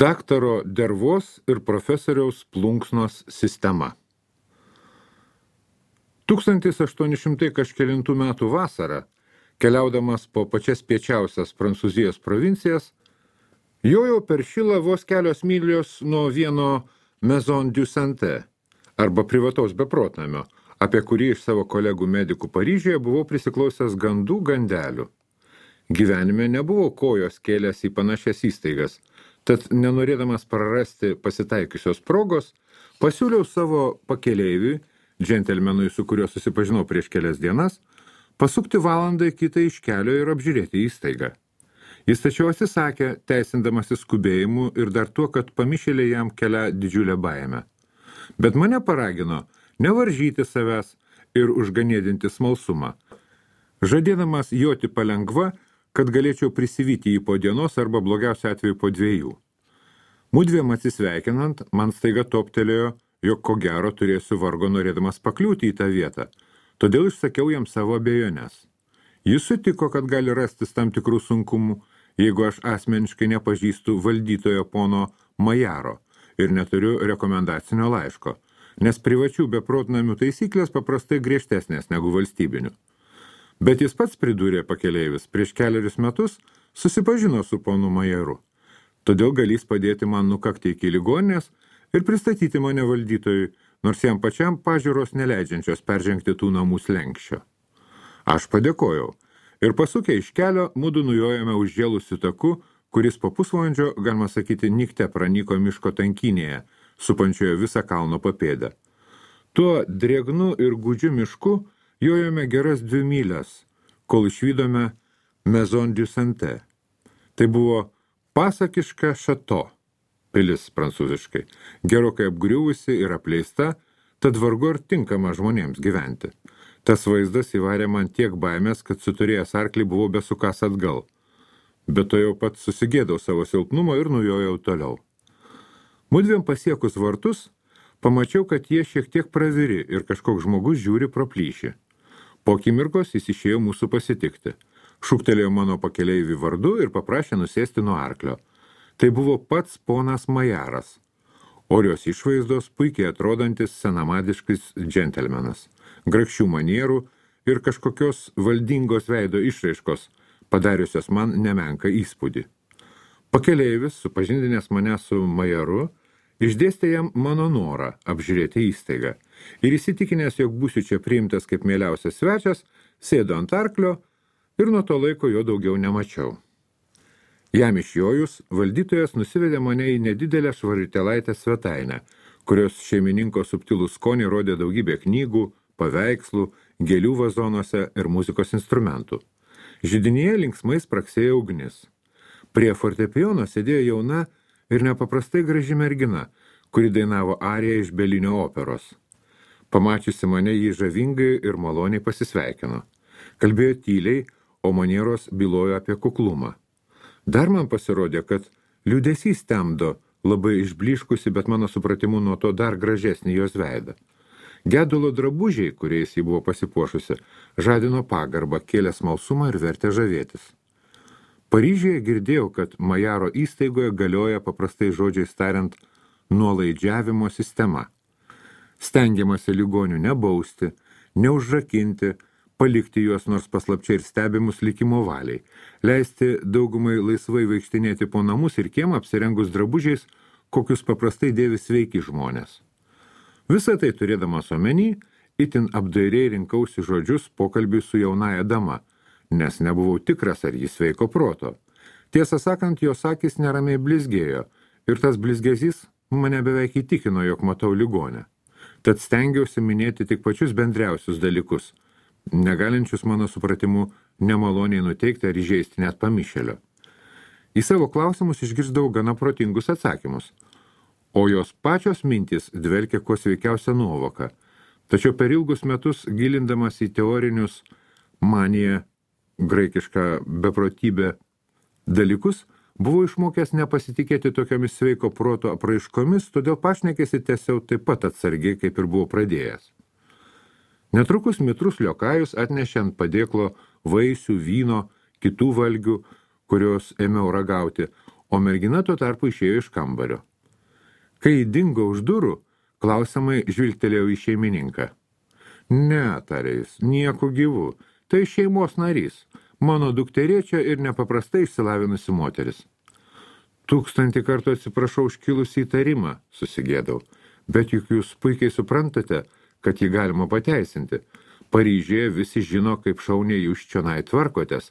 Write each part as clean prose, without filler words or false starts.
Daktaro Dervos ir profesoriaus plunksnos sistema. 1800 kažkelintų metų vasarą, keliaudamas po pačias piečiausias Prancūzijos provincijas, jojau per Šilą vos kelios mylios nuo vieno Maison du Santé, arba privataus beprotnamio, apie kurį iš savo kolegų medikų Paryžiuje buvau prisiklausęs gandelių. Gyvenime nebuvau kojos kėlęs į panašias įstaigas, tad nenorėdamas prarasti pasitaikiusios progos, pasiūliau savo pakeleiviui, džentelmenui, su kuriuo susipažinau prieš kelias dienas, pasukti valandą kitą iš kelio ir apžiūrėti įstaigą. Jis tačiau atsisakė, teisindamasis skubėjimu ir dar tuo, kad pamišėlė jam kelia didžiulę baimę. Bet mane paragino nevaržyti savęs ir užganėdinti smalsumą, žadėdamas joti palengva, kad galėčiau prisivyti jį po dienos arba blogiausiu atveju po 2. Mudviem atsisveikinant, man staiga toptelėjo, jog ko gero turėsiu vargo norėdamas pakliūti į tą vietą, todėl išsakiau jam savo abejonės. Jis sutiko, kad gali rastis tam tikrų sunkumų, jeigu aš asmeniškai nepažįstu valdytojo pono Majaro ir neturiu rekomendacinio laiško, nes privačių beprotnamių taisyklės paprastai griežtesnės negu valstybinių. Bet jis pats pridūrė pakeleivis, prieš 4 metus susipažino su ponu Majaru. Todėl galės padėti man nukakti iki ligoninės ir pristatyti mane valdytojui, nors jam pačiam pažiūros neleidžiančios peržengti tų namų slenksčio. Aš padėkojau ir pasukę iš kelio, mudu nujojame užžėlusiu taku, kuris po pusvalandžio, galima sakyti, nikte pranyko miško tankinėje, supančioje visą kalno papėdę. Tuo drėgnu ir gūdžiu mišku jojome geras 2 mylias, kol išvydome Maison du Santé. Tai buvo pasakiška šato, pilis prancūziškai, gerokai apgriuvusi ir apleista, tad vargu ar tinkama žmonėms gyventi. Tas vaizdas įvarė man tiek baimės, kad suturėjęs arklį buvau besukas atgal. Bet to jau pat susigėdau savo silpnumo ir nujojau toliau. Mudviem pasiekus vartus, pamačiau, kad jie šiek tiek praviri ir kažkoks žmogus žiūri pro plyšį. Po akimirkos jis išėjo mūsų pasitikti. Šūktelėjo mano pakeleivį vardu ir paprašė nusėsti nuo arklio. Tai buvo pats ponas Majaras, orios išvaizdos, puikiai atrodantis senamadiškis džentelmenas, grakščių manierų ir kažkokios valdingos veido išraiškos, padariusios man nemenką įspūdį. Pakeleivis, supažindinęs mane su Majaru, išdėstė jam mano norą apžiūrėti įstaigą ir įsitikinęs, jog būsiu čia priimtas kaip mieliausias svečias, sėdo ant arklio ir nuo to laiko jo daugiau nemačiau. Jam išjojus, valdytojas nusivedė mane į nedidelę švaritelaitę svetainę, kurios šeimininko subtilų skonį rodė daugybė knygų, paveikslų, gėlių vazonuose ir muzikos instrumentų. Židinyje linksmai spraksėjo ugnis. Prie fortepijono sėdėjo jauna ir nepaprastai graži mergina, kuri dainavo ariją iš Belinio operos. Pamačiusi mane, jį žavingai ir maloniai pasisveikino. Kalbėjo tyliai, o manieros bylojo apie kuklumą. Dar man pasirodė, kad liūdesys temdo labai išbliškusi, bet mano supratimu nuo to dar gražesnį jos veidą. Gedulo drabužiai, kuriais ji buvo pasipuošusi, žadino pagarbą, kėlė smalsumą ir vertė žavėtis. Paryžiuje girdėjau, kad Majaro įstaigoje galioja paprastai žodžiais tariant nuolaidžiavimo sistema. Stengiamasi ligonių nebausti, neužrakinti, palikti juos nors paslapčia ir stebimus likimo valiai, leisti daugumai laisvai vaikštinėti po namus ir kiemą apsirengus drabužiais, kokius paprastai dėvi sveiki žmonės. Visą tai turėdamas omeny, itin apdairiai rinkausi žodžius pokalbiui su jaunaja dama, nes nebuvau tikras, ar jis sveiko proto. Tiesą sakant, jos akys neramiai blizgėjo ir tas blizgesys mane beveik įtikino, jog matau ligonę. Tad stengiausi minėti tik pačius bendriausius dalykus, negalinčius mano supratimu nemaloniai nuteikti ar įžeisti net pamišėlio. Į savo klausimus išgirsdavau gana protingus atsakymus, o jos pačios mintys dvelkė kuo sveikiausia nuovoka. Tačiau per ilgus metus, gilindamas į teorinius maniją, graikišką beprotybę dalykus, buvau išmokęs nepasitikėti tokiomis sveiko proto apraiškomis, todėl pašnekėsi tęsiau taip pat atsargiai, kaip ir buvau pradėjęs. Netrukus mitrus liokajus atnešė ant padėklo vaisių, vyno, kitų valgių, kurios ėmiau ragauti, o mergina tuo tarpu išėjo iš kambario. Kai dingo už durų, klausiamai žvilgtelėjau į šeimininką. Ne, tarė jis, nieko gyvų, tai šeimos narys, mano dukterėčia ir nepaprastai išsilavinusi moteris. 1000 kartų atsiprašau užkilusį įtarimą, susigėdau, bet juk jūs puikiai suprantate, kad jį galima pateisinti. Paryžiuje visi žino, kaip šauniai jūs čionai tvarkotės,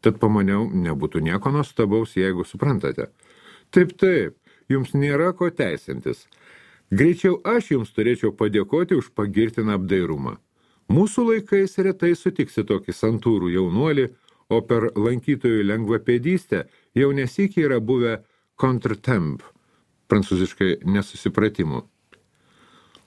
tad pamaniau, nebūtų nieko nuostabaus, jeigu suprantate. Taip, jums nėra ko teisintis. Greičiau aš jums turėčiau padėkoti už pagirtiną apdairumą. Mūsų laikais retai sutiksi tokį santūrų jaunuolį, o per lankytojų lengvapėdystę jau nesykiai yra buvę contretemps, prancūziškai nesusipratimų.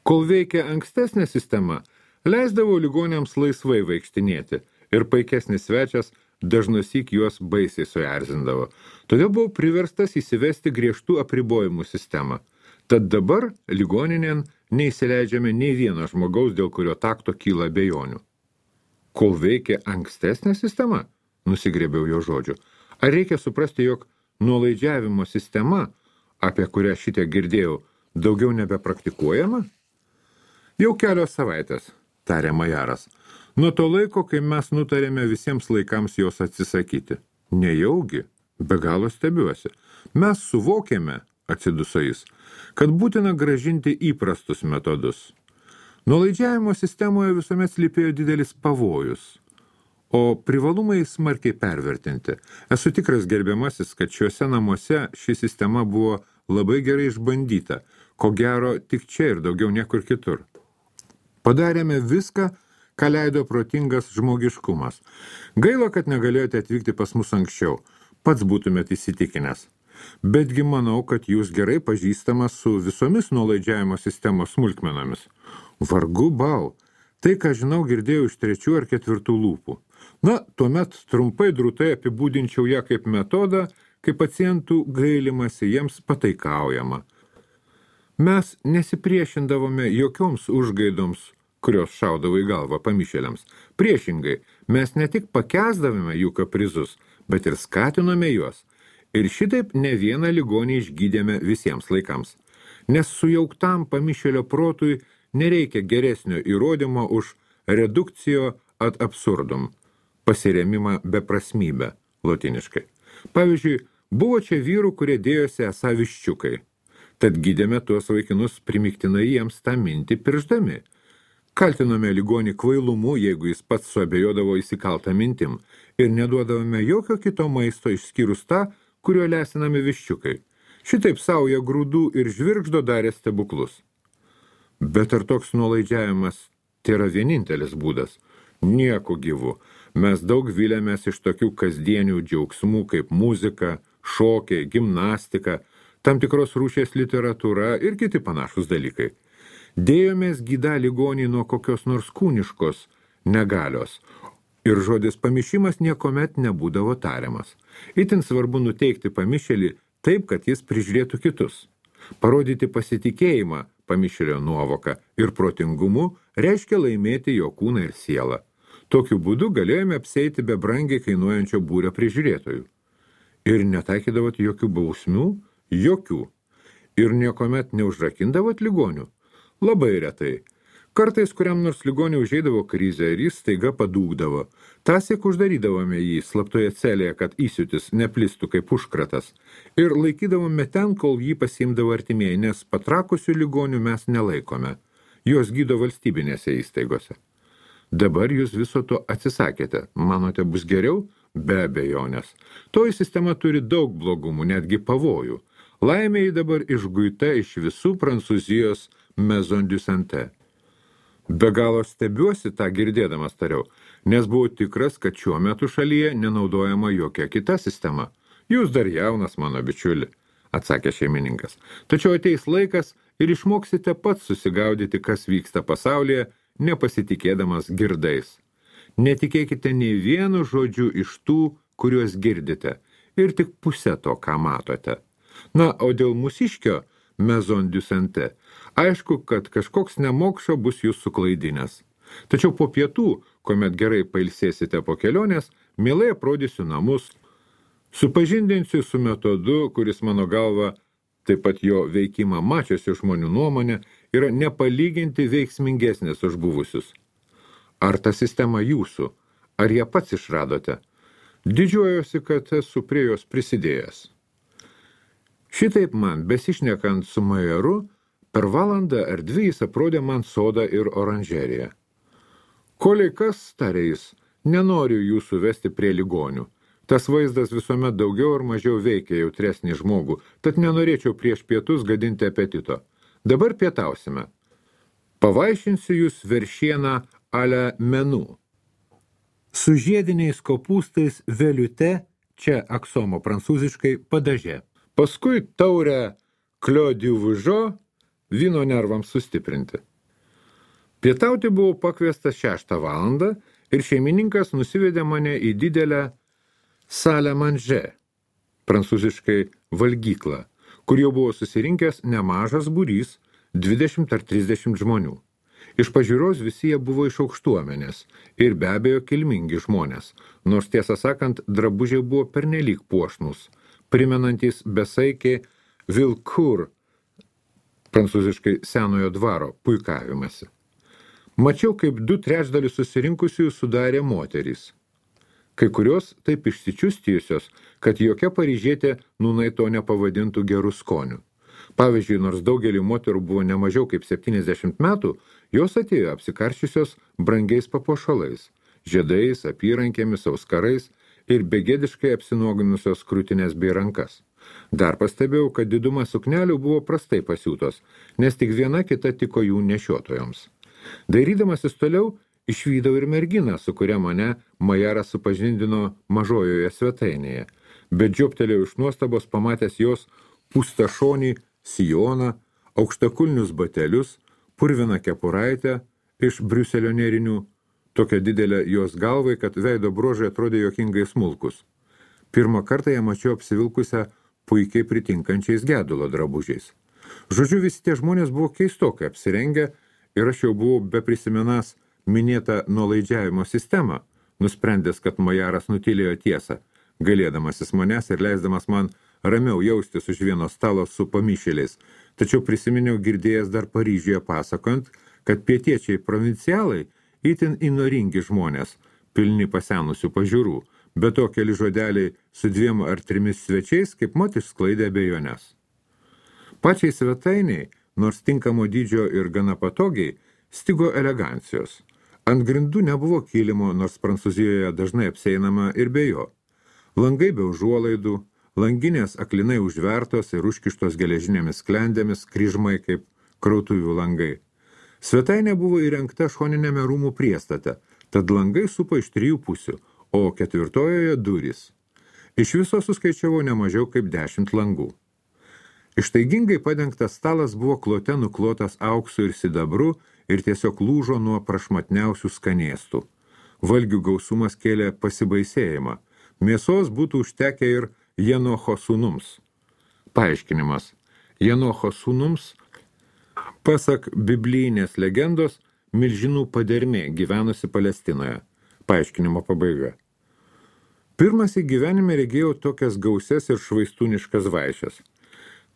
Kol veikia ankstesnė sistema, leisdavo ligoniams laisvai vaikštinėti ir paikesnis svečias dažnosyk juos baisiai suerzindavo. Todėl buvau priverstas įsivesti griežtų apribojimų sistemą. Tad dabar ligoninėn neįsileidžiame nei vieno žmogaus, dėl kurio takto kyla abejonių. Kol veikia ankstesnė sistema, nusigrėbiau jo žodžių. Ar reikia suprasti, jog nuolaidžiavimo sistema, apie kurią šitą girdėjau, daugiau nebepraktikuojama? Jau kelios savaitės, tarė majaras. Nuo to laiko, kai mes nutarėme visiems laikams jos atsisakyti. Nejaugi, be galo stebiuosi. Mes suvokėme, atsiduso jis, kad būtina gražinti įprastus metodus. Nuolaidžiavimo sistemoje visuomet slypėjo didelis pavojus, o privalumai smarkiai pervertinti. Esu tikras, gerbiamasis, kad šiuose namuose ši sistema buvo labai gerai išbandyta, ko gero tik čia ir daugiau niekur kitur. Padarėme viską, ką leido protingas žmogiškumas. Gaila, kad negalėjote atvykti pas mus anksčiau, pats būtumėt įsitikinęs. Betgi manau, kad jūs gerai pažįstamas su visomis nuolaidžiavimo sistemos smulkmenomis. Vargu bau, tai, ką žinau, girdėjau iš 3 ar 4 lūpų. Na, tuomet trumpai drūtai apibūdinčiau ją kaip metodą, kai pacientų gailimasi jiems pataikaujama. Mes nesipriešindavome jokioms užgaidoms, kurios šaudavo į galvą pamišėliams. Priešingai, mes ne tik pakęsdavome jų kaprizus, bet ir skatinome juos. Ir šitaip ne vieną ligonį išgydėme visiems laikams. Nes sujauktam pamišėlio protui nereikia geresnio įrodymo už redukcijo ad absurdum, pasiremimą beprasmybę, lotiniškai. Pavyzdžiui, buvo čia vyrų, kurie dėjosi esą viščiukai. Tad gydėme tuos vaikinus primiktinai jiems tą mintį piršdami. Kaltinome ligonį kvailumu, jeigu jis pats suabejodavo įsikaltą mintim, ir neduodavome jokio kito maisto išskyrus tą, kurio lesinami viščiukai. Šitaip sauja grūdų ir žvirgždo darė stebuklus. Bet ar toks nuolaidžiavimas tėra vienintelis būdas? Nieko gyvu. Mes daug vilėmės iš tokių kasdienių džiaugsmų kaip muzika, šokiai, gimnastika, tam tikros rūšies literatūra ir kiti panašus dalykai. Dėjomės gydą ligonį nuo kokios nors kūniškos negalios, ir žodis pamišimas niekomet nebūdavo tariamas. Itin svarbu nuteikti pamišėlį taip, kad jis prižiūrėtų kitus. Parodyti pasitikėjimą pamišėlio nuovoką ir protingumu reiškia laimėti jo kūną ir sielą. Tokiu būdu galėjome apseiti be brangiai kainuojančio būrio prižiūrėtojų. Ir netaikydavot jokių bausmių? Jokių. Ir niekomet neužrakindavot ligonių? Labai retai. Kartais kuriam nors ligoniui užeidavo krizę ir jis staiga padūkdavo. Tąsyk uždarydavome jį slaptoje celėje, kad įsiūtis neplistų kaip užkratas. Ir laikydavome ten, kol jį pasiimdavo artimieji, nes patrakusių ligonių mes nelaikome. Juos gydo valstybinėse įstaigose. Dabar jūs viso to atsisakėte. Manote, bus geriau? Be abejonės. Toji sistema turi daug blogumų, netgi pavojų. Laimėjai dabar išguita iš visų Prancūzijos Maison du Santé. Be galo stebiuosi tą girdėdamas tariau, nes buvau tikras, kad šiuo metu šalyje nenaudojama jokia kita sistema. Jūs dar jaunas, mano bičiuli, atsakė šeimininkas. Tačiau ateis laikas ir išmoksite pats susigaudyti, kas vyksta pasaulyje, nepasitikėdamas girdais. Netikėkite nei vienu žodžiu iš tų, kuriuos girdite, ir tik pusę to, ką matote. Na, o dėl mūsiškio Maison du Santé, aišku, kad kažkoks nemokšo bus jūs suklaidinęs. Tačiau po pietų, kuomet gerai pailsėsite po kelionės, mielai aprodysiu namus, Supažindinsiu su metodu, kuris mano galva, taip pat jo veikimą mačiusių žmonių nuomonė, yra nepalyginti veiksmingesnės už buvusius. Ar ta sistema jūsų? Ar ją pats išradote? Didžiuojuosi, kad esu prie jos prisidėjęs. Šitaip man, besišnekant su majoru, per valandą ar dvi jis aprodė man sodą ir oranžeriją. Kolei kas, tarė jis, nenoriu jūsų vesti prie ligonių. Tas vaizdas visuomet daugiau ar mažiau veikia jautresnį žmogų, tad nenorėčiau prieš pietus gadinti apetito. Dabar pietausime. Pavaišinsiu jūs veršieną ale menu. Su žiediniais kopūstais veliute, čia aksomo prancūziškai, padaže. Paskui taurę Clos du Vougeot, vyno nervams sustiprinti. Pietauti buvau pakviestas 6 valandą ir šeimininkas nusivedė mane į didelę salę manger, prancūziškai valgyklą, kur jau buvo susirinkęs nemažas būrys, 20 ar 30 žmonių. Iš pažiūros visi jie buvo iš aukštuomenės ir be abejo kilmingi žmonės, nors tiesą sakant, drabužiai buvo pernelyg puošnus, primenantys besaikį Vilcourt, prancūziškai senojo dvaro, puikavimasi. Mačiau, kaip 2/3 susirinkusiųjų sudarė moterys. Kai kurios taip išsičiustijusios, kad jokia paryžietė nūnai to nepavadintų gerų skonių. Pavyzdžiui, nors daugelį moterų buvo nemažiau kaip 70 metų, jos atėjo apsikarščiusios brangiais papuošalais, žiedais, apyrankėmis, auskarais ir begėdiškai apsinuoginusios krūtinės bei rankas. Dar pastebėjau, kad diduma suknelių buvo prastai pasiūtos, nes tik viena kita tiko jų nešiotojoms. Dairydamasis toliau, išvydau ir merginą, su kuria mane majaras supažindino mažojoje svetainėje, bet žioptelėjau iš nuostabos pamatęs jos pustašonį sijoną, aukštakulnius batelius, purviną kepuraitę iš Briuselio nėrinių, tokia didelė jos galvai, kad veido bruožai atrodė juokingai smulkus. Pirmą kartą ją mačiau apsivilkusią puikiai pritinkančiais gedulo drabužiais. Žodžiu, visi tie žmonės buvo keistokai apsirengę ir aš jau buvau beprisimenąs minėtą nuolaidžiavimo sistemą, nusprendęs, kad majaras nutylėjo tiesą, galėdamasis manęs ir leisdamas man ramiau jaustis už vieno stalo su pamišėliais, tačiau prisiminiau girdėjęs dar Paryžiuje pasakojant, kad pietiečiai provincialai itin įnoringi žmonės, pilni pasenusių pažiūrų, be to keli žodeliai su 2 ar 3 svečiais kaip mat išsklaidė abejonės. Pačiai svetainiai, nors tinkamo dydžio ir gana patogiai, stigo elegancijos. Ant grindų nebuvo kilimo, nors Prancūzijoje dažnai apseinama ir be jo. Langai be užuolaidų, langinės aklinai užvertos ir užkištos geležinėmis sklendėmis, kryžmai kaip krautuvių langai. Svetainė buvo įrengta šoninėme rūmų priestate, tad langai supo iš 3 pusių, o 4 durys. Iš viso suskaičiavau nemažiau kaip 10 langų. Ištaigingai padengtas stalas buvo klote nuklotas auksu ir sidabru ir tiesiog lūžo nuo prašmatniausių skanėstų. Valgių gausumas kėlė pasibaisėjimą. Mėsos būtų užtekę ir Jenocho sūnums. Paaiškinimas. Jenocho sūnums, pasak biblijinės legendos, milžinų padermė gyvenusi Palestinoje. Paaiškinimo pabaiga. Pirmas į gyvenime regėjau tokias gausias ir švaistūniškas vaišes.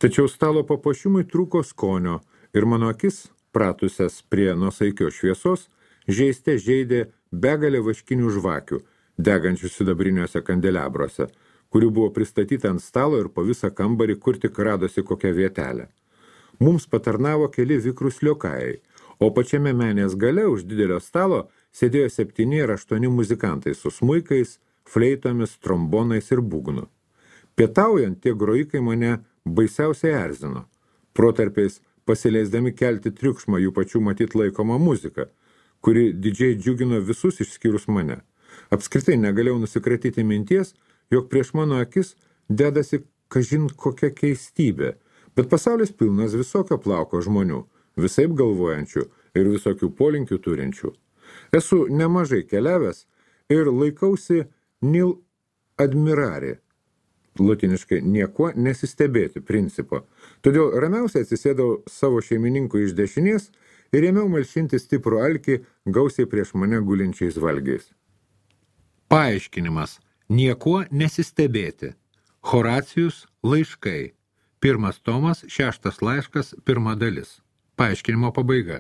Tačiau stalo papuošimui trūko skonio ir mano akis, pratusias prie nuosaikios šviesos, žeiste žeidė begalė vaškinių žvakių, degančių sidabriniuose kandelabruose, kurių buvo pristatyta ant stalo ir po visą kambarį, kur tik radosi kokią vietelę. Mums patarnavo keli vikrūs liokajai, o pačiame menės gale už didelio stalo sėdėjo 7 ar 8 muzikantai su smuikais, fleitomis, trombonais ir būgnu. Pietaujant, tie grojikai mane baisiausiai erzino. Protarpiais pasileisdami kelti triukšmą jų pačių matyt laikomą muziką, kuri didžiai džiugino visus išskyrus mane. Apskritai negalėjau nusikratyti minties, jog prieš mano akis dedasi kažin kokia keistybė, bet pasaulis pilnas visokio plauko žmonių, visaip galvojančių ir visokių polinkių turinčių. Esu nemažai keliavęs ir laikausi nil admirari, latiniškai niekuo nesistebėti principo. Todėl ramiausiai atsisėdau savo šeimininkui iš dešinės ir ėmiau malšinti stiprų alkį gausiai prieš mane gulinčiais valgiais. Paaiškinimas. Niekuo nesistebėti. Horacijus laiškai. 1 tomas, 6 laiškas, 1 dalis. Paaiškinimo pabaiga.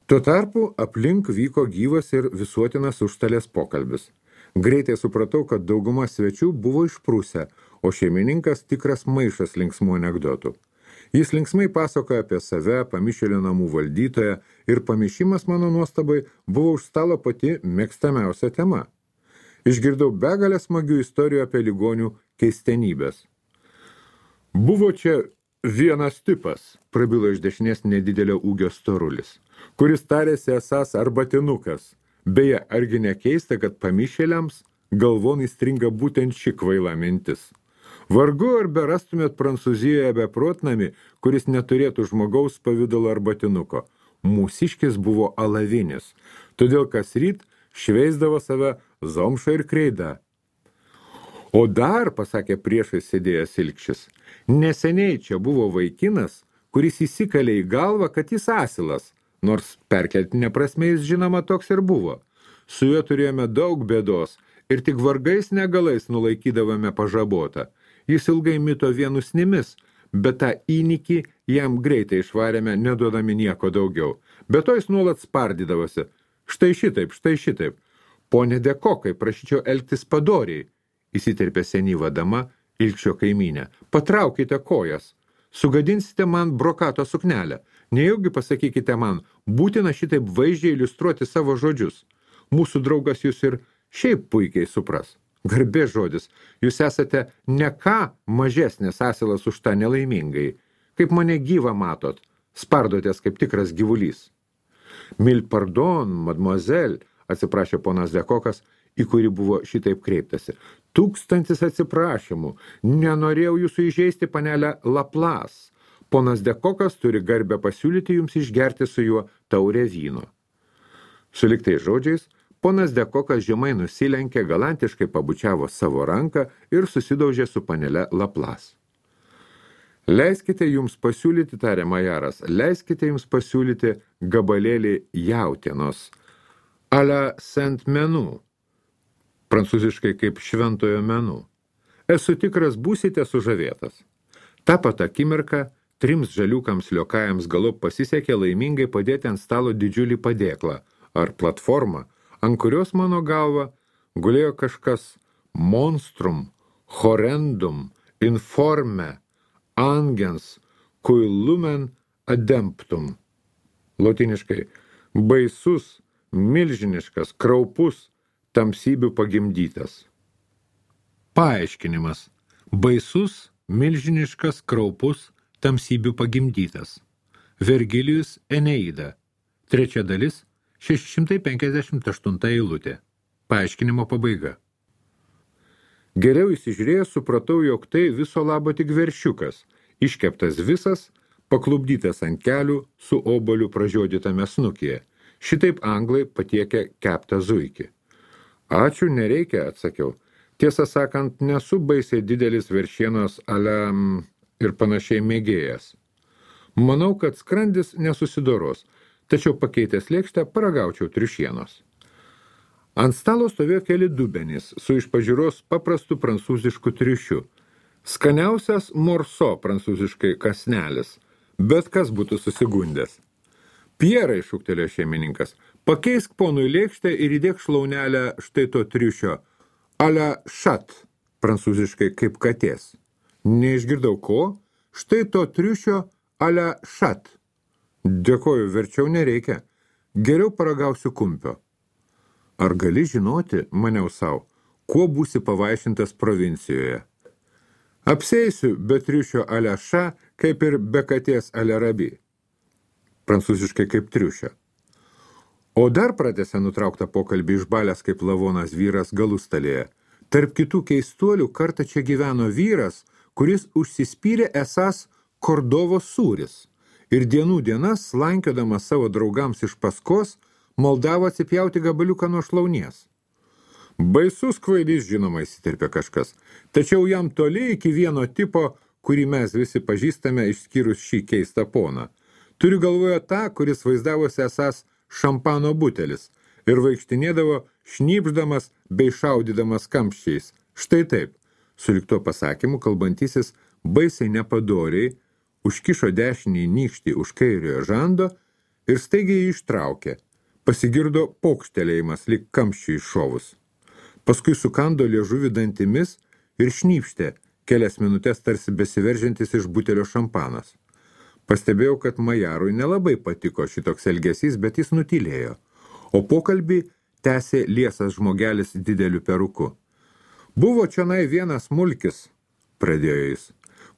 Tuo tarpu aplink vyko gyvas ir visuotinas užstalės pokalbis. Greitai supratau, kad dauguma svečių buvo išprusę, o šeimininkas tikras maišas linksmų anekdotų. Jis linksmai pasakoja apie save, pamišėlio namų valdytoją ir pamišimas mano nuostabai buvo už stalo pati mėgstamiausia tema. Išgirdau begalę smagių istorijų apie ligonių keistenybės. Buvo čia vienas tipas, prabilo iš dešinės nedidelio ūgio storulis, kuris tarėsi esąs arbatinukas. Beje, argi nekeista, kad pamišėliams galvon įstringa būtent ši kvaila mintis. Vargu ar berastumėt Prancūzijoje beprotnamį, kuris neturėtų žmogaus pavidalo arbatinuko. Mūsiškis buvo alavinis, todėl kas ryt šveisdavo save zomša ir kreida. O dar, pasakė priešai sėdėjęs Ilkšis, neseniai čia buvo vaikinas, kuris įsikalė į galvą, kad jis asilas, nors perkeltinė prasme jis žinoma toks ir buvo. Su juo turėjome daug bėdos ir tik vargais negalais nulaikydavome pažabotą. Jis ilgai mito vienusnimis, bet tą įnikį jam greitai išvarėme, neduodami nieko daugiau. Bet to jis nuolat spardydavosi. Štai šitaip. Pone Dekokai, prašyčiau elgtis padoriai, įsiterpė senyva dama, Ilkšio kaimynė. Patraukite kojas, sugadinsite man brokato suknelę. Nejaugi pasakykite man, būtina šitaip vaizdžiai iliustruoti savo žodžius. Mūsų draugas jūs ir šiaip puikiai supras. Garbė žodis, jūs esate ne ką mažesnis asilas už tą nelaimingai. Kaip mane gyvą matot, spardotės kaip tikras gyvulys. Mille pardon, mademoiselle, atsiprašė ponas Dekokas, į kurį buvo šitaip kreiptasi. 1000 atsiprašymų, nenorėjau jūsų įžeisti, panelę Laplace. Ponas Dekokas turi garbę pasiūlyti jums išgerti su juo taurę vyno. Suliktais žodžiais, ponas Dekokas žemai nusilenkė, galantiškai pabučiavo savo ranką ir susidaužė su panele Laplace. Leiskite jums pasiūlyti, tarė majaras, leiskite jums pasiūlyti gabalėlį jautienos, a la Saint-Menu, prancūziškai kaip šventojo menų. Esu tikras, būsite sužavėtas. Ta pat akimirką 3 žaliukams liokajams galop pasisekė laimingai padėti ant stalo didžiulį padėklą ar platformą, ant kurios mano galva gulėjo kažkas monstrum, horrendum, informe, angens, cui lumen ademptum. Lotiniškai baisus, milžiniškas, kraupus, tamsybių pagimdytas. Paaiškinimas. Baisus, milžiniškas, kraupus, tamsybių pagimdytas. Vergilijus Eneida. 3 dalis, 658 eilutė. Paaiškinimo pabaiga. Geriau įsižiūrėjęs supratau, jog tai viso labo tik veršiukas, iškeptas visas, paklubdytas ant kelių su oboliu pražiodytame snukyje. Šitaip anglai patiekia keptą zuikį. Ačiū, nereikia, atsakiau. Tiesą sakant, nesu baisiai didelis veršienos ale ir panašiai mėgėjas. Manau, kad skrandis nesusidoros, tačiau pakeitęs lėkštę paragaučiau triušienos. Ant stalo stovėjo keli dubenys su iš pažiūros paprastu prancūzišku triušiu. Skaniausias morso prancūziškai kasnelis, bet kas būtų susigundęs. Pierai, šūktelėjo šeimininkas, pakeisk ponui lėkštę ir įdėk šlaunelę štai to triušio, a la chat, prancūziškai kaip katės. Neišgirdau ko, štai to triušio a la chat. Dėkoju, verčiau nereikia. Geriau paragausiu kumpio. Ar gali žinoti, maniau sau, kuo būsi pavaišintas provincijoje? Apseisiu be triušio a la chat, kaip ir be katės a la rabi. Prancūziškai kaip triušio. O dar pratęsė nutrauktą pokalbį išbalęs kaip lavonas vyras galustalėje. Tarp kitų keistuolių kartą čia gyveno vyras, kuris užsispyrė esąs Kordovo sūris ir dienų dienas, slankiodamas savo draugams iš paskos, maldavo atsipjauti gabaliuką nuo šlaunies. Baisus kvailys, žinoma, įsiterpė kažkas, tačiau jam toli iki vieno tipo, kurį mes visi pažįstame išskyrus šį keistą poną. Turiu galvoje tą, kuris vaizdavosi esąs šampano butelis ir vaikštinėdavo šnypždamas bei šaudydamas kamščiais. Štai taip, Sulig tuo pasakymu kalbantysis baisiai nepadoriai užkišo dešinį nykštį už kairiojo žando ir staigiai jį ištraukė. Pasigirdo pokštelėjimas lyg kamščiui iššovus. Paskui sukando liežuvį dantimis ir šnypštė kelias minutės tarsi besiveržiantis iš butelio šampanas. Pastebėjau, kad majarui nelabai patiko šitoks elgesys, bet jis nutylėjo, o pokalbį tęsė liesas žmogelis dideliu peruku. Buvo čionai vienas mulkis, pradėjo jis,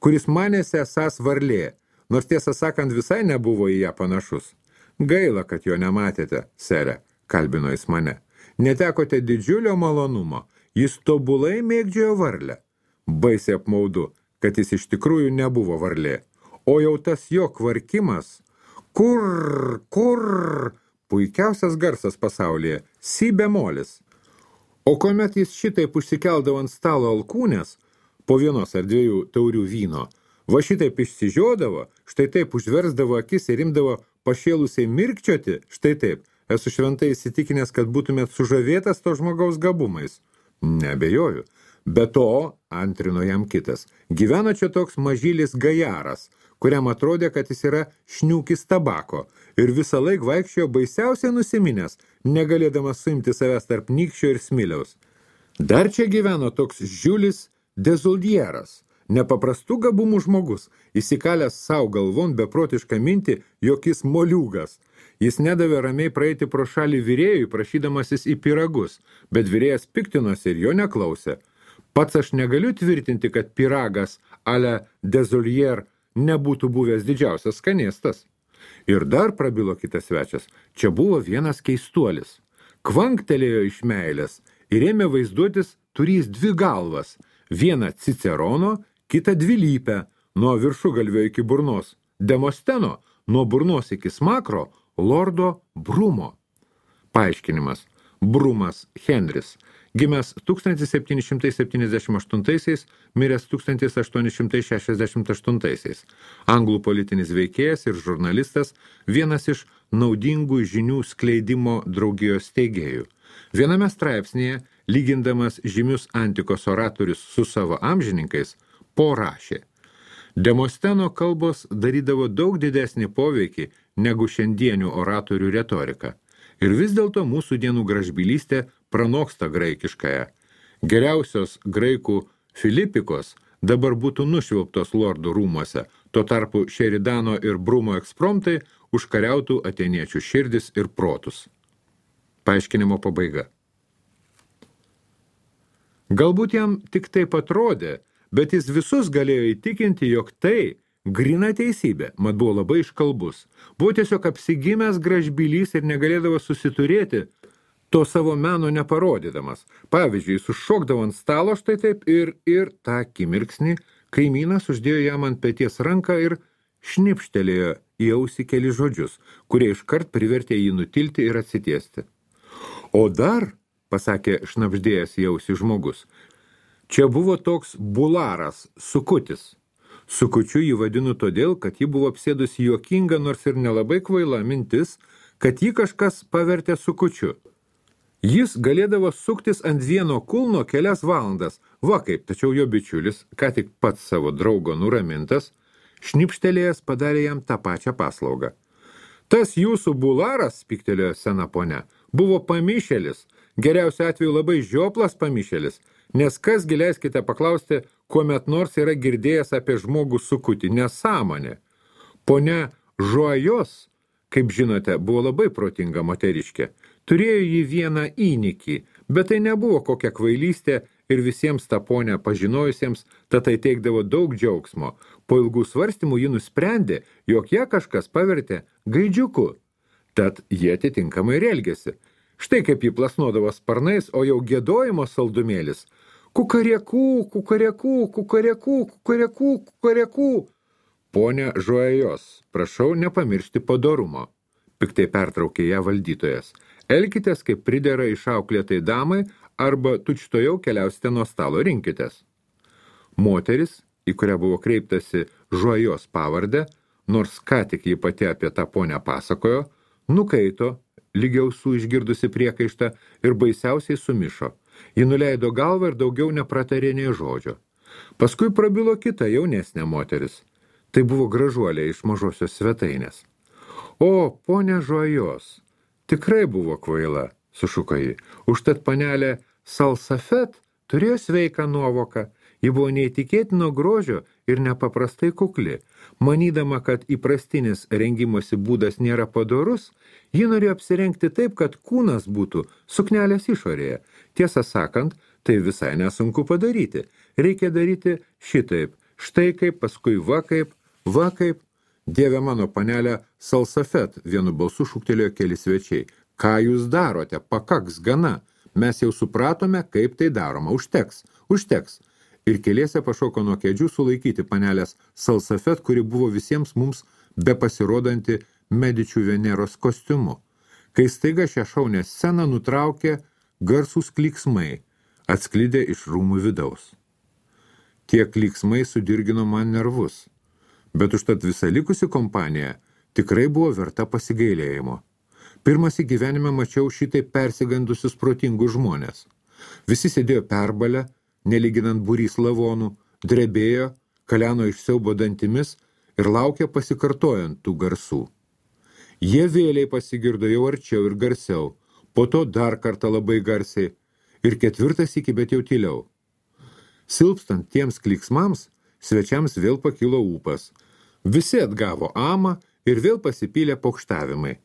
kuris manėsi esąs varlė, nors tiesą sakant visai nebuvo į ją panašus. Gaila, kad jo nematėte, sere, kalbino jis mane. Netekote didžiulio malonumo, jis tobulai mėgdžiojo varlę. Baisiai apmaudu, kad jis iš tikrųjų nebuvo varlė. O jau tas jo kvarkimas, kur, puikiausias garsas pasaulyje, si bemolis. O kuomet jis šitaip užsikeldavo ant stalo alkūnės, po vienos ar dviejų taurių vyno, va šitaip išsižiodavo, štai taip užversdavo akis ir imdavo pašėlusiai mirkčioti, štai taip, esu šventai įsitikinęs, kad būtumėt sužavėtas to žmogaus gabumais. Nebejoju. Be to, antrino jam kitas, gyveno čia toks mažylis gajaras, kuriam atrodė, kad jis yra šniūkis tabako ir visą laik vaikščiojo baisiausiai nusiminęs, negalėdamas suimti savęs tarp nykščio ir smiliaus. Dar čia gyveno toks Žiulis Dezuldieras, nepaprastų gabumų žmogus, įsikalęs savo galvon beprotišką mintį, jog jis moliūgas. Jis nedavė ramiai praeiti pro šalį virėjui, prašydamasis į pyragus, bet virėjas piktinosi ir jo neklausė. Pats aš negaliu tvirtinti, kad pyragas ale Dezuldier nebūtų buvęs didžiausias skanėstas. Ir dar prabilo kitas svečias, čia buvo vienas keistuolis. Kvanktelėjo iš meilės ir ėmė vaizduotis turys dvi galvas, vieną Cicerono, kitą dvilypę, nuo viršugalvio iki burnos, Demosteno, nuo burnos iki smakro, lordo Brumo. Paaiškinimas. Brumas Henris, gimęs 1778, miręs 1868. Anglų politinis veikėjas ir žurnalistas, vienas iš naudingų žinių skleidimo draugijos steigėjų. Viename straipsnėje, lygindamas žymius antikos oratorius su savo amžininkais, rašė. Demosteno kalbos darydavo daug didesnį poveikį negu šiandienių oratorių retorika. Ir vis dėlto mūsų dienų gražbylystė pranoksta graikiškąją. Geriausios graikų Filipikos dabar būtų nušvilptos lordų rūmuose, tuo tarpu Šeridano ir Brumo ekspromtai užkariautų atėniečių širdis ir protus. Paaiškinimo pabaiga. Galbūt jam tik taip atrodė, bet jis visus galėjo įtikinti, jog tai grina teisybė, mat buvo labai iškalbus. Buvo tiesiog apsigimęs gražbylys ir negalėdavo susiturėti, to savo meno neparodydamas. Pavyzdžiui, sušokdavo ant stalo štai taip ir tą akimirksnį kaimynas uždėjo jam ant peties ranką ir šnipštelėjo į ausį keli žodžius, kurie iškart privertė jį nutilti ir atsitiesti. O dar, pasakė šnabždėjęs į ausį žmogus, čia buvo toks bularas, sukutis. Sukučiu jį vadinu todėl, kad ji buvo apsėdusi juokinga, nors ir nelabai kvaila mintis, kad jį kažkas pavertė sukučiu. Jis galėdavo suktis ant vieno kulno kelias valandas, va kaip, tačiau jo bičiulis, ką tik pats savo draugo nuramintas, šnipštelėjęs padarė jam tą pačią paslaugą. Tas jūsų bularas, piktelėjo sena ponia, buvo pamišėlis, geriausiu atveju labai žioplas pamišėlis, nes kas leiskite paklausti, kuomet nors yra girdėjęs apie žmogų sukutį, nesąmonė. Ponia Žuajos, kaip žinote, buvo labai protinga moteriškė. Turėjo jį vieną įnikį, bet tai nebuvo kokia kvailystė ir visiems tą ponę pažinojusiems, tad tai teikdavo daug džiaugsmo. Po ilgų svarstymų ji nusprendė, jog ją kažkas pavertė gaidžiuku. Tad jie atitinkamai ir elgėsi. Štai kaip jį plasnodavo sparnais, o jau giedojimo saldumėlis. Kukarekų, kukarekų, kukarekų, kukarekų, kukarekų. Pone Žuajos, prašau nepamiršti padorumo. Piktai pertraukė ją valdytojas. Elkitės, kaip pridera išauklėtai damai, arba tučtojau keliausite nuo stalo, rinkitės. Moteris, į kurią buvo kreiptasi Žuajos pavardę, nors ką tik ji pati apie tą ponę pasakojo, nukaito, lygiausų išgirdusi priekaištą ir baisiausiai sumišo. Ji nuleido galvą ir daugiau nepratarė nei žodžio. Paskui prabilo kita jaunesnė moteris. Tai buvo gražuolė iš mažosios svetainės. O, ponia Žuajos, tikrai buvo kvaila, sušuko ji. Užtat panelė Salsafet turėjo sveiką nuovoką. Ji buvo neįtikėtino grožio ir nepaprastai kukli. Manydama, kad įprastinis rengimosi būdas nėra padorus, ji norėjo apsirengti taip, kad kūnas būtų suknelės išorėje. Tiesą sakant, tai visai nesunku padaryti. Reikia daryti šitaip. Štai kaip, paskui va kaip. Dieve mano, panelė Salsafet, vienu balsu šūktelėjo keli svečiai. Ką jūs darote? Pakaks gana. Mes jau supratome, kaip tai daroma. Užteks. Ir keliese pašoko nuo kėdžių sulaikyti panelės Salsafet, kuri buvo visiems mums bepasirodanti Medičių Veneros kostiumu. Kai staiga šią šaunę sceną nutraukė garsūs klyksmai, atsklidę iš rūmų vidaus. Tie klyksmai sudirgino man nervus, bet užtat visa likusi kompanija tikrai buvo verta pasigailėjimo. Pirmas į gyvenime mačiau šitai persigandusius protingus žmonės. Visi sėdėjo perbalę, nelyginant būrys lavonų, drebėjo, kaleno iš siaubo dantimis ir laukė pasikartojant tų garsų. Jie vėliai pasigirdo jau arčiau ir garsiau, po to dar kartą labai garsiai ir ketvirtas iki, bet jau tyliau. Silpstant tiems klyksmams, svečiams vėl pakilo ūpas. Visi atgavo amą ir vėl pasipylė pokštavimai.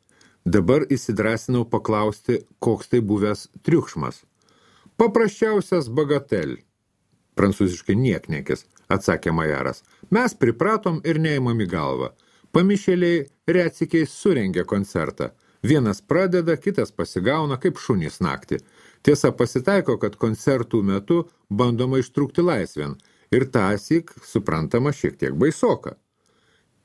Dabar įsidrasinau paklausti, koks tai buvęs triukšmas. Paprasčiausias bagatel, prancūziškai niekniekis, atsakė majaras. Mes pripratom ir neimam į galvą. Pamišėliai retsykiais surengė koncertą. Vienas pradeda, kitas pasigauna kaip šunys naktį. Tiesa, pasitaiko, kad koncertų metu bandoma ištrūkti laisvėn ir tąsyk, suprantama, šiek tiek baisoka.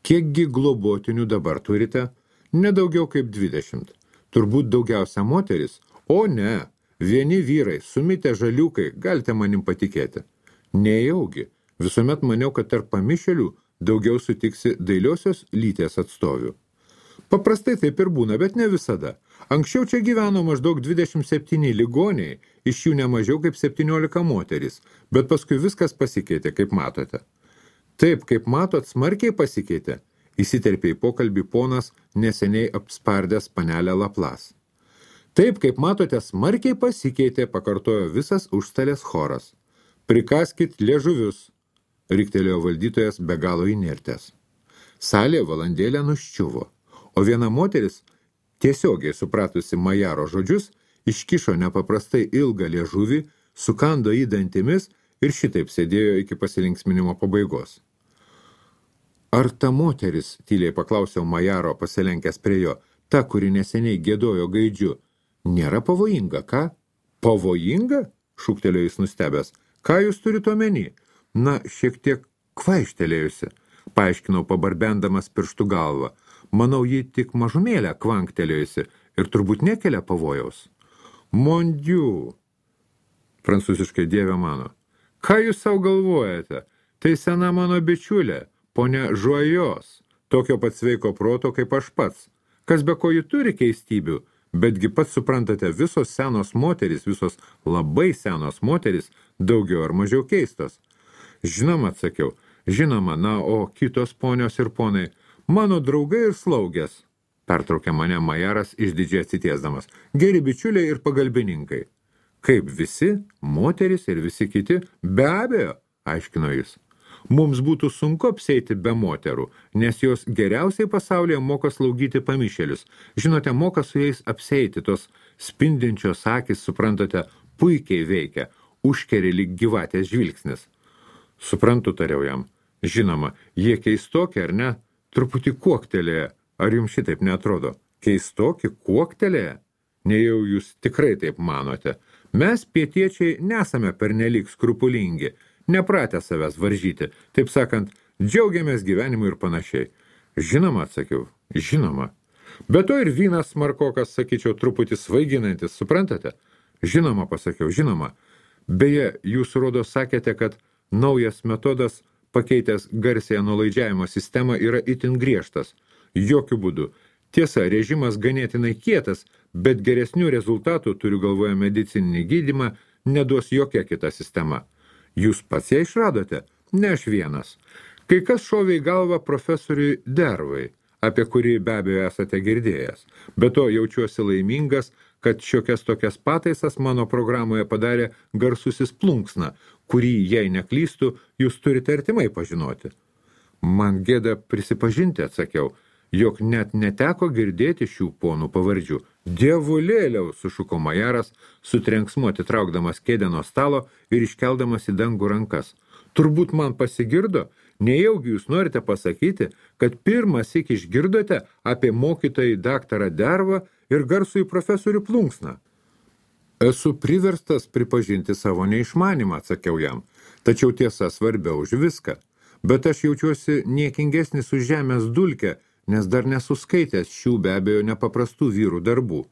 Kiekgi globotinių dabar turite? Nedaugiau kaip 20. Turbūt daugiausia moteris? O ne, vieni vyrai, sumitę žaliukai, galite manim patikėti. Nejaugi, visuomet maniau, kad tarp pamišėlių daugiau sutiksi dailiosios lyties atstovių. Paprastai taip ir būna, bet ne visada. Anksčiau čia gyveno maždaug 27 ligoniai, iš jų ne mažiau kaip 17 moterys, bet paskui viskas pasikeitė, kaip matote. Taip, kaip matot, smarkiai pasikeitė, įsiterpė į pokalbį ponas neseniai apspardęs panelę Laplas. Taip, kaip matote, smarkiai pasikeitė, pakartojo visas užstalės choras. Prikaskit liežuvius, riktelėjo valdytojas be galo įnirtęs. Salė valandėlę nuščiuvo, o viena moteris, tiesiogiai supratusi majaro žodžius, iškišo nepaprastai ilgą liežuvį, sukando jį dantimis ir šitaip sėdėjo iki pasilinksminimo pabaigos. Ar ta moteris, tyliai paklausiau majaro pasilenkęs prie jo, ta, kuri neseniai gėdojo gaidžiu, nėra pavojinga, ką? Pavojinga? Šūktelėjo jis nustebęs. Ką jūs turite omeny? Na, šiek tiek kvaištelėjusi, paaiškinau pabarbendamas pirštų galvą. Manau, ji tik mažumėlę kvanktelėjusi ir turbūt nekelia pavojaus. Mon Dieu, prancūziškai dieve mano. Ką jūs savo galvojate? Tai sena mano bičiulė, ponia Žuajos, tokio pat sveiko proto kaip aš pats. Kas be ko ji turi keistybių, betgi pats suprantate, visos senos moterys, visos labai senos moterys, daugiau ar mažiau keistos. Žinoma, atsakiau, žinoma, na, o kitos ponios ir ponai, mano draugai ir slaugės, pertraukė mane majaras išdidžiai atsitiesdamas, geri bičiuliai ir pagalbininkai. Kaip visi, moteris ir visi kiti, be abejo, aiškino jis. Mums būtų sunku apseiti be moterų, nes jos geriausiai pasaulyje moka slaugyti pamišėlius. Žinote, moka su jais apseiti, tos spindinčios akys, suprantate, puikiai veikia, užkeri lyg gyvatės žvilgsnis. Suprantu, tariau jam. Žinoma, jie keistokie, ar ne? Truputį kuoktelėje. Ar jums šitaip neatrodo? Keistokie kuoktelėje? Nejau jūs tikrai taip manote. Mes, pietiečiai, nesame pernelyg skrupulingi, nepratę savęs varžyti, taip sakant, džiaugiamės gyvenimu ir panašiai. Žinoma, atsakiau, žinoma. Be to ir vynas smarkokas, sakyčiau, truputį svaiginantis, suprantate? Žinoma, pasakiau, žinoma. Beje, jūs rodo sakėte, kad naujas metodas, pakeitęs garsiąją nuolaidžiavimo sistemą, yra itin griežtas. Jokių būdų. Tiesa, režimas ganėtinai kietas, bet geresnių rezultatų, turiu galvoje medicininį gydymą, neduos jokia kita sistema. Jūs pats ją išradote? Ne aš vienas. Kai kas šovė į galvą profesoriui Dervai, apie kurį be abejo esate girdėjęs. Be to jaučiuosi laimingas, kad šiokias tokias pataisas mano programoje padarė garsusis Plunksna, kurį, jei neklystų, jūs turite artimai pažinoti. Man gėda prisipažinti, atsakiau, jog net neteko girdėti šių ponų pavardžių. Dievulėliau, sušuko majaras, su trenksmu atitraukdamas kėdę nuo stalo ir iškeldamas į dangų rankas. Turbūt man pasigirdo, nejaugi jūs norite pasakyti, kad pirmąsyk išgirdote apie mokytojai daktarą Dervą ir garsųjį profesorių Plunksną. Esu priverstas pripažinti savo neišmanimą, atsakiau jam, tačiau tiesa svarbiau už viską. Bet aš jaučiuosi niekingesnis už žemės dulkę, nes dar nesuskaitęs šių be abejo nepaprastų vyrų darbų.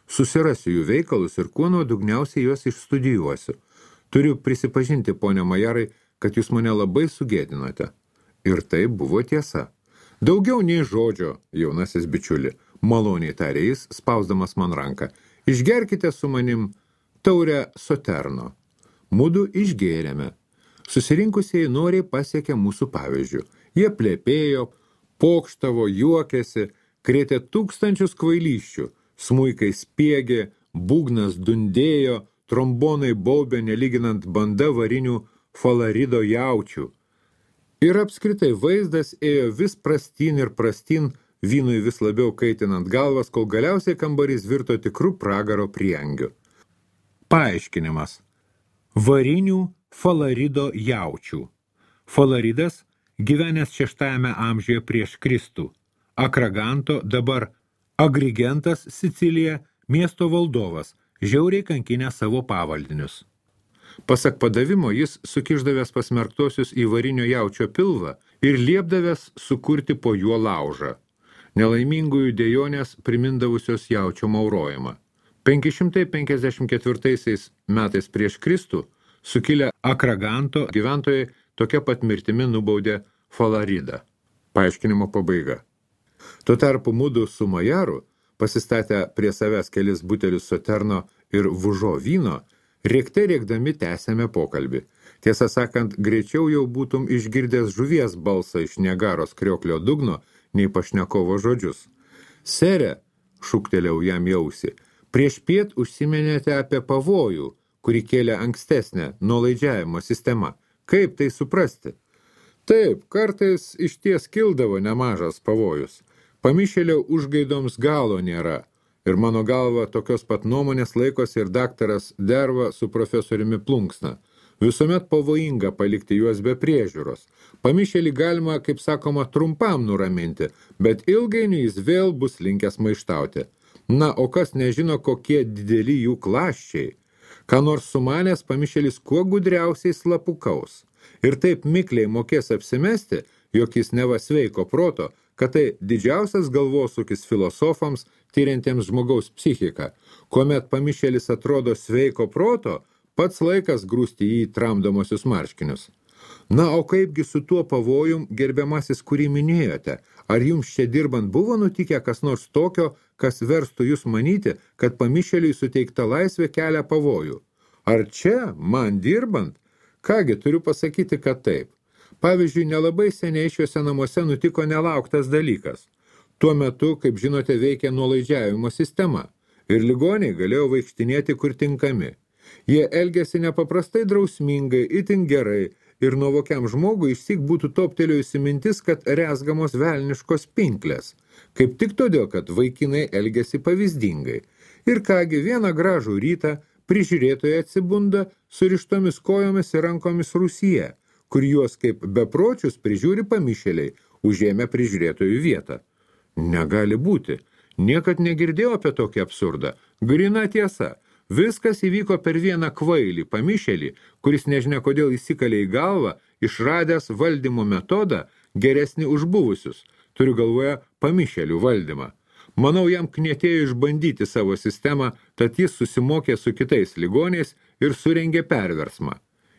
Susirasiu jų veikalus ir kuo nuodugniausiai juos išstudijuosiu. Turiu prisipažinti, ponia Majarai, kad jūs mane labai sugėdinote. Ir tai buvo tiesa. Daugiau nei žodžio, jaunasis bičiuli, maloniai tarė jis, spausdamas man ranką. Išgerkite su manim taurę Soterno. Mudu išgėrėme. Susirinkusieji noriai pasiekė mūsų pavyzdžių. Jie plėpėjo, pokštavo, juokėsi, krėtė tūkstančius kvailysčių, smuikai spiegė, būgnas dundėjo, trombonai baubė nelyginant banda varinių falarido jaučių. Ir apskritai vaizdas ėjo vis prastyn ir prastyn, vynui vis labiau kaitinant galvas, kol galiausiai kambarys virto tikrų pragaro priengiu. Paaiškinimas. Varinių falarido jaučių. Falaridas gyvenęs 6 amžiuje prieš Kristų. Akraganto, dabar Agrigentas Sicilija, miesto valdovas, žiauriai kankinę savo pavaldinius. Pasak padavimo jis sukišdavęs pasmerktosius į varinio jaučio pilvą ir liepdavęs sukurti po juo laužą. Nelaimingųjų dejonės primindavusios jaučio maurojimą. 554 metais prieš Kristų sukilę Akraganto gyventojai tokia pat mirtimi nubaudė Falaridą. Paaiškinimo pabaiga. Tuo tarpu mudu su Majaru, pasistatę prie savęs kelis butelius Soterno ir Vužo vyno, rėkdami tęsėme pokalbį. Tiesą sakant, greičiau jau būtum išgirdęs žuvies balsą iš Niagaros krioklio dugno, nei pašnekovo žodžius. Sere, šūktelėjau jam į ausį, prieš piet užsiminėte apie pavojų, kurį kėlė ankstesnė nuolaidžiavimo sistema. Kaip tai suprasti? Taip, kartais išties kildavo nemažas pavojus. Pamišėlio užgaidoms galo nėra. Ir mano galva tokios pat nuomonės laikosi ir daktaras Derva su profesoriumi Plunksna. Visuomet pavojinga palikti juos be priežiūros. Pamišėlį galima, kaip sakoma, trumpam nuraminti, bet ilgainiui jis vėl bus linkęs maištauti. Na, o kas nežino, kokie dideli jų klaščiai. Ką nors sumanęs pamišėlis kuo gudriausiai slapukaus. Ir taip mikliai mokės apsimesti, jog jis neva sveiko proto, kad tai didžiausias galvosūkis filosofams, tyriantiems žmogaus psichiką. Kuomet pamišėlis atrodo sveiko proto, pats laikas grūsti jį tramdomosius marškinius. Na, o kaipgi su tuo pavojum, gerbiamasis, kurį minėjote? Ar jums čia dirbant buvo nutikę kas nors tokio, kas verstų jūs manyti, kad pamišėliui suteikta laisvė kelia pavojų? Ar čia, man dirbant? Kągi, turiu pasakyti, kad taip. Pavyzdžiui, nelabai seniai šiuose namuose nutiko nelauktas dalykas. Tuo metu, kaip žinote, veikia nuolaidžiavimo sistema ir ligoniai galėjo vaikštinėti kur tinkami. Jie elgėsi nepaprastai drausmingai, itin gerai ir nuovokiam žmogui išsyk būtų toptelėjusi mintis, kad rezgamos velniškos pinklės. Kaip tik todėl, kad vaikinai elgėsi pavyzdingai. Ir kągi, vieną gražų rytą prižiūrėtojai atsibunda surištomis kojomis ir rankomis rūsyje, kur juos kaip bepročius prižiūri pamišėliai, užėmę prižiūrėtojų vietą. Negali būti. Niekad negirdėjau apie tokį absurdą. Grina tiesa. Viskas įvyko per vieną kvailį pamišėlį, kuris nežinia kodėl įsikalė į galvą, išradęs valdymo metodą geresnį už buvusius. Turiu galvoje pamišėlių valdymą. Manau, jam knietėjo išbandyti savo sistemą, tad jis susimokė su kitais ligoniais ir surengė perversmą.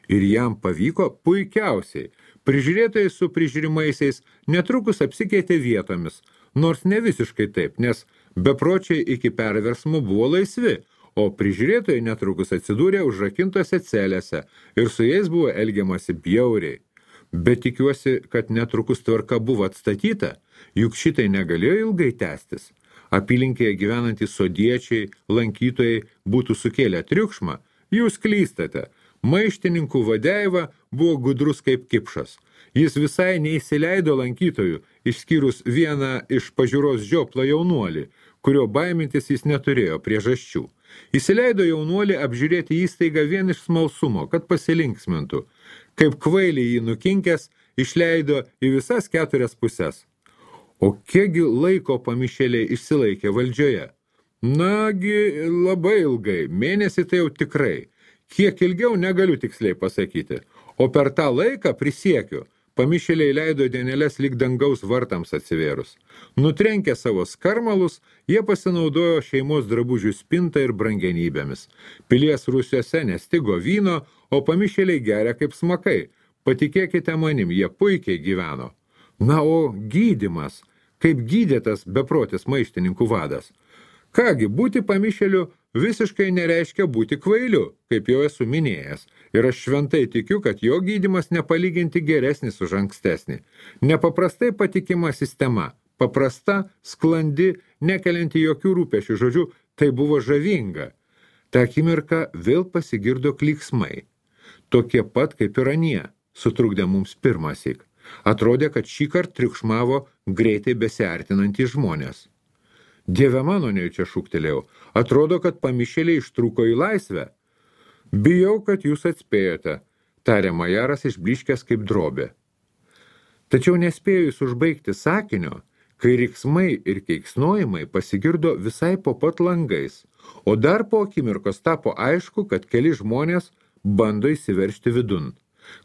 Ir jam pavyko puikiausiai. Prižiūrėtojai su prižiūrimaisiais netrukus apsikeitė vietomis, nors ne visiškai taip, nes bepročiai iki perversmo buvo laisvi, o prižiūrėtojai netrukus atsidūrė užrakintose celėse ir su jais buvo elgiamasi bjauriai. Bet tikiuosi, kad netrukus tvarka buvo atstatyta, juk šitai negalėjo ilgai tęstis. Apylinkėje gyvenantys sodiečiai, lankytojai būtų sukėlę triukšmą, jūs klystate. Maištininkų Vadeiva buvo gudrus kaip kipšas. Jis visai neįsileido lankytojų, išskyrus vieną iš pažiūros žioplą jaunuolį, kurio baimintis jis neturėjo priežasčių. Įsileido jaunuolį apžiūrėti įstaigą vien iš smalsumo, kad pasilinksmintų. Kaip kvailį jį nukinkęs, išleido į visas 4 puses. O kiekgi laiko pamišėliai išsilaikė valdžioje? Nagi, labai ilgai, mėnesį tai jau tikrai. Kiek ilgiau negaliu tiksliai pasakyti. O per tą laiką, prisiekiu, pamišėliai leido dienelės lyg dangaus vartams atsivėrus. Nutrenkę savo skarmalus, jie pasinaudojo šeimos drabužių spintą ir brangenybėmis. Pilies rūsiuose nestigo vyno, o pamišėliai geria kaip smakai. Patikėkite manim, jie puikiai gyveno. Na, o gydymas, kaip gydėtas beprotis maištininkų vadas. Kągi, būti pamišėliu visiškai nereiškia būti kvailiu, kaip jau esu minėjęs, ir aš šventai tikiu, kad jo gydymas nepalyginti geresnis už ankstesnį. Nepaprastai patikima sistema, paprasta, sklandi, nekelianti jokių rūpešių, žodžiu, tai buvo žavinga. Ta akimirka vėl pasigirdo klyksmai. Tokie pat kaip ir anie, sutrukdė mums pirmąsyk. Atrodė, kad šįkart triukšmavo greitai besiartinantys žmonės. Dieve mano, nejučia šūktelėjau, atrodo, kad pamišėliai ištrūko į laisvę. Bijau, kad jūs atspėjote, tarė majaras išbliškęs kaip drobė. Tačiau nespėjus užbaigti sakinio, kai riksmai ir keiksnojimai pasigirdo visai po pat langais, o dar po akimirkos tapo aišku, kad keli žmonės bando įsiveržti vidun.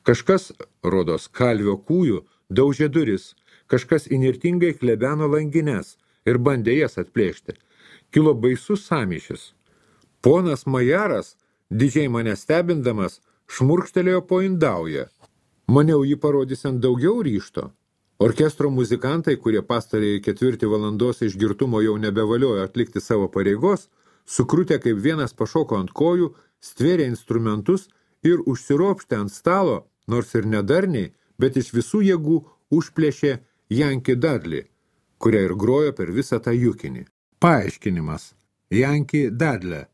Kažkas, rodos kalvio kūjų, daužė duris, kažkas inirtingai klebeno langines ir bandė jas atplėšti. Kilo baisus sąmyšis. Ponas majaras, didžiai mane stebindamas, šmurkštelėjo po indaują. Maniau jį parodysiant daugiau ryžto. Orkestro muzikantai, kurie pastarėjai 4 valandos išgirtumo jau nebevaliojo atlikti savo pareigos, sukrutę kaip vienas pašoko ant kojų, stvėrė instrumentus ir užsiropštė ant stalo, nors ir nedarniai, bet iš visų jėgų užplėšė Yankee Dudley, kurią ir grojo per visą tą jukinį. Paaiškinimas. Yankee Dudley.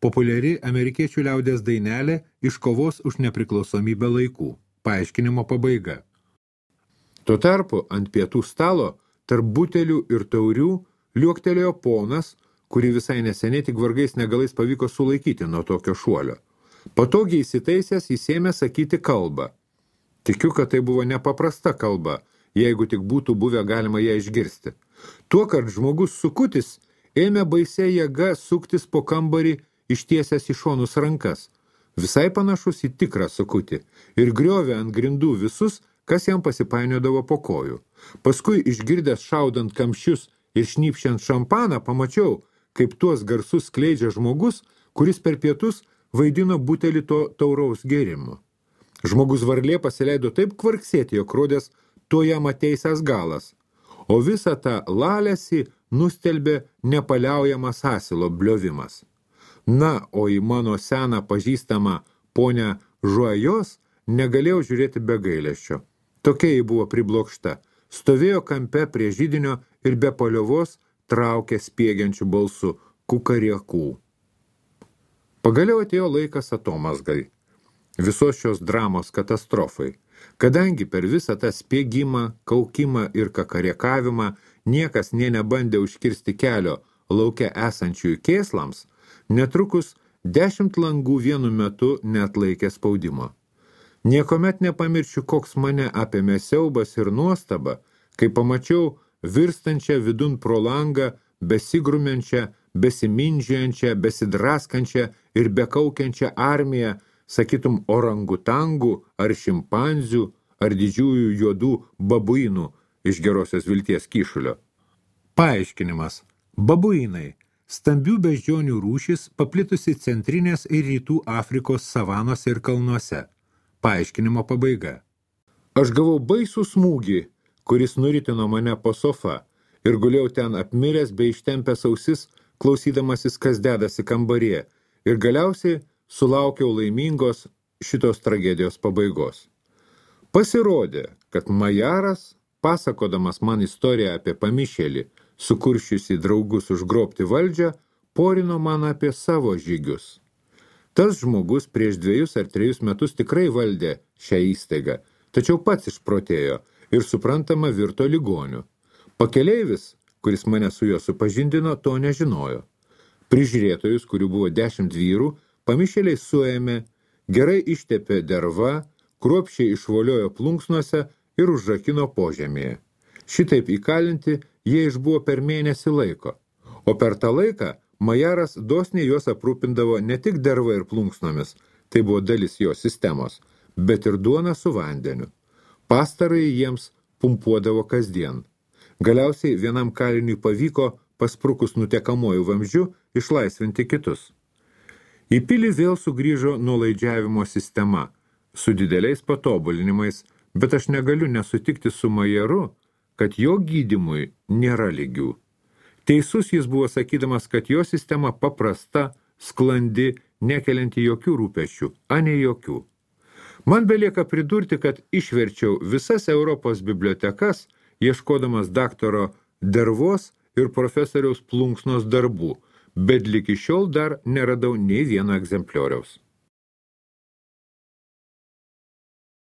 Populiari amerikiečių liaudės dainelė iš kovos už nepriklausomybę laikų. Paaiškinimo pabaiga. Tuo tarpu ant pietų stalo, tarp butelių ir taurių, liuoktelėjo ponas, kurį visai neseniai tik vargais negalais pavyko sulaikyti nuo tokio šuolio. Patogiai įsitaisęs jis ėmė sakyti kalbą. Tikiu, kad tai buvo nepaprasta kalba, jeigu tik būtų buvę galima ją išgirsti. Tuokart žmogus sukutis ėmė baisia jėga suktis po kambarį ištiesęs į šonus rankas, visai panašus į tikrą sukutį, ir griovė ant grindų visus, kas jam pasipainiodavo po kojų. Paskui, išgirdęs šaudant kamščius ir šnypščiant šampaną, pamačiau, kaip tuos garsus skleidžia žmogus, kuris per pietus vaidino butelį to tauraus gėrimo. Žmogus varlė pasileido taip kvarksėti, jog rodės to jam ateisęs galas, o visą tą lalesį nustelbė nepaliaujamas asilo bliovimas. Na, o į mano seną pažįstamą ponę Žuajos negalėjau žiūrėti be gailesčio. Tokia ji buvo priblokšta, stovėjo kampe prie židinio ir be paliovos traukė spiegiančių balsų kukariekų. Pagaliau atėjo laikas atomazgai, visos šios dramos katastrofai. Kadangi per visą tą spiegimą, kaukimą ir kakariekavimą niekas nė nebandė užkirsti kelio lauke esančiųjų kėslams, netrukus 10 langų vienu metu neatlaikė spaudimo. Niekomet nepamiršiu, koks mane apėmė siaubas ir nuostaba, kai pamačiau virstančią vidun pro langą, besigrumenčią, besimindžiančią, besidraskančią ir bekaukiančią armiją, sakytum, orangutangų ar šimpanzių ar didžiųjų juodų babuinų iš Gerosios vilties kyšulio. Paaiškinimas. Babuinai. Stambių beždžionių rūšis paplitusi centrinės ir rytų Afrikos savanose ir kalnuose. Paaiškinimo pabaiga. Aš gavau baisų smūgį, kuris nuritino mane po sofa ir gulėjau ten apmiręs bei ištempęs ausis, klausydamasis, kas dedasi kambaryje, ir galiausiai sulaukiau laimingos šitos tragedijos pabaigos. Pasirodė, kad Majaras, pasakodamas man istoriją apie pamišėlį, sukuršiusi draugus užgrobti valdžią, porino man apie savo žygius. Tas žmogus prieš 2 ar 3 metus tikrai valdė šią įstaigą, tačiau pats išprotėjo ir suprantama virto ligoniu. Pakeleivis, kuris mane su juo supažindino, to nežinojo. Prižiūrėtojus, kurių buvo 10 vyrų, pamišėliai suėmė, gerai ištepė derva, kruopščiai išvoliojo plunksnuose ir užrakino požemėje. Šitaip įkalinti jie išbuvo per mėnesį laiko, o per tą laiką Majaras dosniai juos aprūpindavo ne tik derva ir plunksnomis, tai buvo dalis jo sistemos, bet ir duona su vandeniu. Pastarąjį jiems pumpuodavo kasdien. Galiausiai vienam kaliniui pavyko, pasprukus nutekamojų vamzdžių, išlaisvinti kitus. Į pilį vėl sugrįžo nuolaidžiavimo sistema, su dideliais patobulinimais, bet aš negaliu nesutikti su Majaru, kad jo gydymui nėra lygių. Teisus jis buvo sakydamas, kad jo sistema paprasta, sklandi, nekelianti jokių rūpesčių, a ne jokių. Man belieka pridurti, kad išverčiau visas Europos bibliotekas, ieškodamas daktaro Dervos ir profesoriaus Plunksnos darbų, bet ligi šiol dar neradau nei vieno egzemplioriaus.